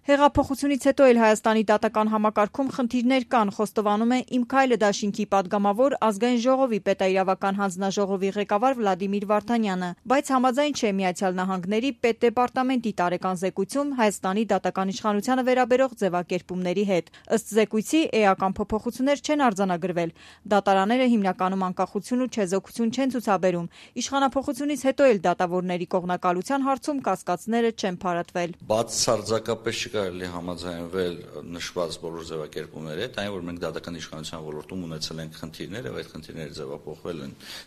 Հեղափոխությունից հետո էլ Հայաստանի դատական համակարգում խնդիրներ կան, խոստովանում է «Իմ քայլը» դաշինքի падգամավոր Ազգային ժողովի պետաիրավական հանձնաժողովի ղեկավար Վլադիմիր Վարդանյանը, բայց համաձայն չէ ԱՄՆ պետդեպարտամենտի տարեկան զեկույցում Հայաստանի դատական իշխանությանը վերաբերող ձևակերպումների հետ։ Ըստ զեկույցի էական փոփոխություններ չեն արձանագրվել։ Դատարանները հիմնականում անկախություն ու չեզոքություն չեն ցուցաբերում։ Իշխանափոխությունից հետո էլ դատավորների կողմնակալության հարցում կասկածները չեն փարատվել։ Բացարձակապես կարելի համաձայնվել նշված բոլոր ձևակերպումների հետ, այն որ մենք դատական իշխանության ոլորտում ունեցել ենք խնդիրներ եւ այդ խնդիրները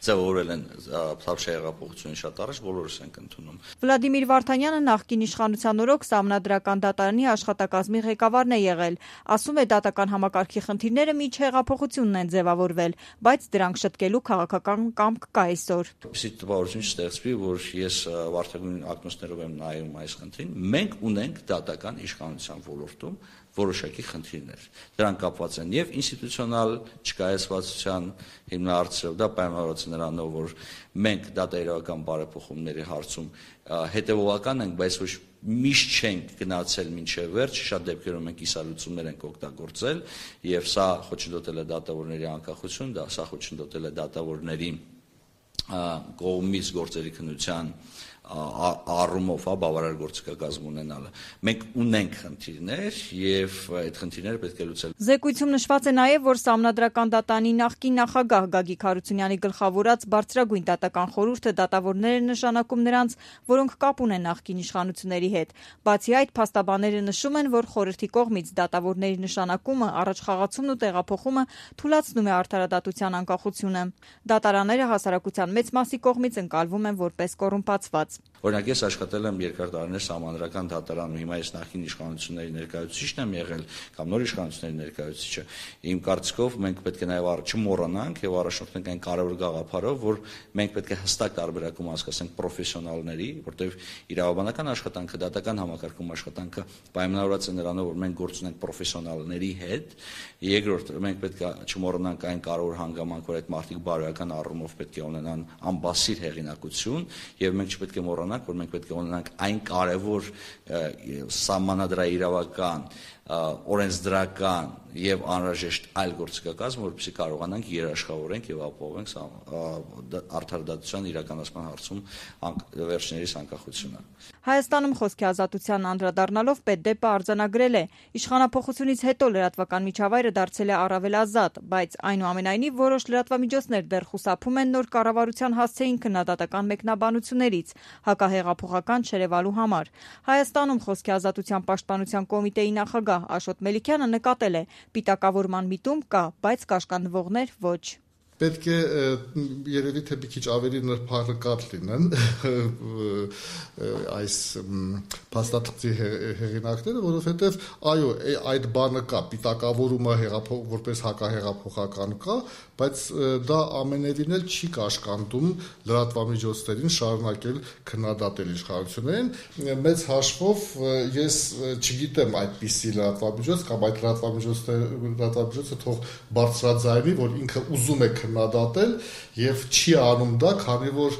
ձևավորել են Թավշյա հեղափոխությունից շատ առաջ, բոլորս ենք ընդունում։ Վլադիմիր Վարդանյանը նախկին իշխանության օրոք Սահմանադրական դատարանի աշխատակազմի ղեկավարն է եղել։ Ասում է, դատական համակարգի խնդիրները միջ հեղափոխությունն են ձևավորվել, բայց դրանք շտկելու քաղաքական կամք կա այսօր։ Այսպիսի տպավորություն չստեղծվի, որ ես վարդագույն ակնոցներով եմ նայում այս խնդրին։ Մենք ունենք դատական իշխանության ոլորտում որոշակի խնդիրներ։ Դրանք կապված են եւ ինստիտուցիոնալ չկայացվածության հիմնահարցերով, դա պայմանավորված է նրանով, որ մենք դատաիրավական բարեփոխումների հարցում հետևողական ենք, բայց ոչ միշտ չենք գնացել մինչև վերջ, շատ դեպքերում մենք կիսալուծումներ ենք օգտագործել եւ սա խոչընդոտել է դատավորների անկախություն, սա խոչընդոտել է դատավորների կողմից գործերի քննության առումով բավարար գործիքակազմ ունենալը։ Մենք ունենք խնդիրներ եւ այդ խնդիրները պետք է լուծել։ Զեկույցում նշված է նաեւ, որ Սահմանադրական դատարանի նախկին նախագահ Գագիկ Հարությունյանի գլխավորած բարձրագույն դատական խորհուրդը դատավորներ է նշանակում նրանց, որոնք կապ ունեն նախկին իշխանությունների հետ։ Բացի այդ, փաստաբանները նշում են, որ խորհրդի կողմից դատավորների նշանակումը, առաջխաղացումն ու տեղափոխումը թուլացնում է արդարադատության անկախությունը։ Դատարանները հասարակության մեծ մասի կողմից ընկալվում են որպես կոռումպացված։ Օրինակ, ես աշխատել եմ երկար տարիներ Սահմանադրական դատարանում, հիմա ես նախկին իշխանությունների ներկայացուցիչն եմ եղել կամ նոր իշխանությունների ներկայացուցիչը։ Իմ կարծիքով մենք պետք է նաև չմոռանանք եւ առաջնորդենք այն կարևոր գաղափարով, որ մենք պետք է հստակ տարբերակում հասկացնենք պրոֆեսիոնալների, որտեղ իրավաբանական աշխատանքը, դատական համակարգում աշխատանքը պայմանավորված է նրանով, որ մենք գործ ունենք պրոֆեսիոնալների հետ։ Երկրորդ, մենք պետք է չմոռանանք այն կարևոր հանգամանք, որ այդ մարդիկ բարոյական առումով պետք է ունենան անբասիր հեղինակություն եւ մենք չպետք է մոռանանք, որ մենք պետք է ունենանք այն կարևոր սահմանադրաիրավական, օրենսդրական եւ անհրաժեշտ այլ գործիքակազմ, որպեսզի կարողանանք երաշխավորենք եւ ապահովենք արդարադատության իրականացման հարցում վերջիններիս անկախությունը։ Հայաստանում խոսքի ազատության անդրադառնալով պետդեպը արձանագրել է. իշխանափոխությունից հետո լրատվական միջավայրը դարձել է առավել ազատ, բայց այնուամենայնիվ որոշ լրատվամիջոցներ դեռ խուսափում են նոր կառավարության հասցեին քննադատական մեկնաբանություններից հակահեղափոխական չերևալու համար։ Հայաստանում խոսքի ազատության պաշտպանության կոմիտեի նախագահ Աշոտ Մելիքյանը նկատել է. պիտակավորման միտում կա, բայց կաշկանդվողներ ոչ։ Պետք է երևի թե մի քիչ ավելի նրբանկատ լինեն այս փաստաթղթի հեղինակները, որովհետև այո, այդ բանը կա, պիտակավորումը որպես հակահեղափոխական կա, բայց դա ամենևին էլ չի կաշկանդում լրատվամիջոցներին շարունակել քննադատել իշխանություններին։ Մեծ հաշվով ես չգիտեմ այդպիսի լրատվամիջոց կամ այդ լրատվամիջոցը թող բարձրաձայնի, որ ինքը ուզում է քննադատել եւ չի անում դա, քանի որ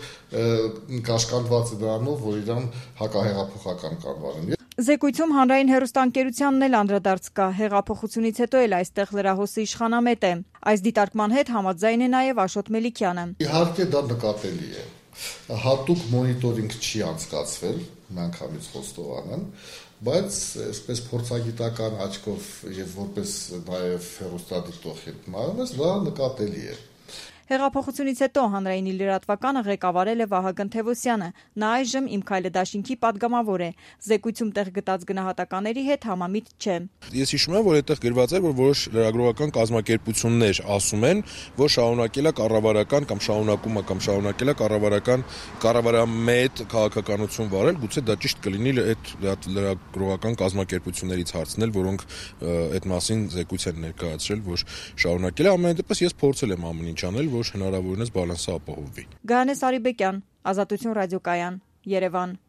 կաշկանդված է դրանով, որ իրան հակահեղափոխական կանվանեն։ Զեկույցում հանրային հեռուստաընկերությանն էլ անդրադարձ կա, հեղափոխությունից հետո էլ այստեղ լրահոսը իշխանամետ է։ Այս դիտարկման հետ համաձայն է նաև Աշոտ Մելիքյանը։ Իհարկե դա նկատելի է։ Հատուկ մոնիտորինգ չի անցկացվել, միանգամից խոստովանեմ, բայց այսպես փորձագիտական աչքով եւ որպես նաև հեռուստադիտող հետ նայում ես, դա նկատելի է։ Հեղափոխությունից հետո հանրայինի լրատվականը ղեկավարել է Վահագն Թևոսյանը։ Նա այժմ Իմ քայլը դաշինքի падգամավոր է։ Զեկույցում տեղ գտած գնահատականների հետ համամիտ չէ։ Ես հիշում եմ, որ այդտեղ գրված էր, որ որոշ լրագրողական կազմակերպություններ ասում են, որ շարունակել է կառավարական կամ շարունակում է կամ շարունակել է կառավարամետ քաղաքականություն վարել, գուցե դա ճիշտ կլինի այդ լրագրողական կազմակերպություններից հարցնել, որոնք այդ մասին զեկույց են ներկայացրել, որ շարունակել է, ամեն դեպս ես փորձել եմ ամեն ինչ անել, որ հնարավորինս բալանսը ապահովվի։ Գայանե Սարիբեկյան, Ազատություն ռադիոկայան, Երևան։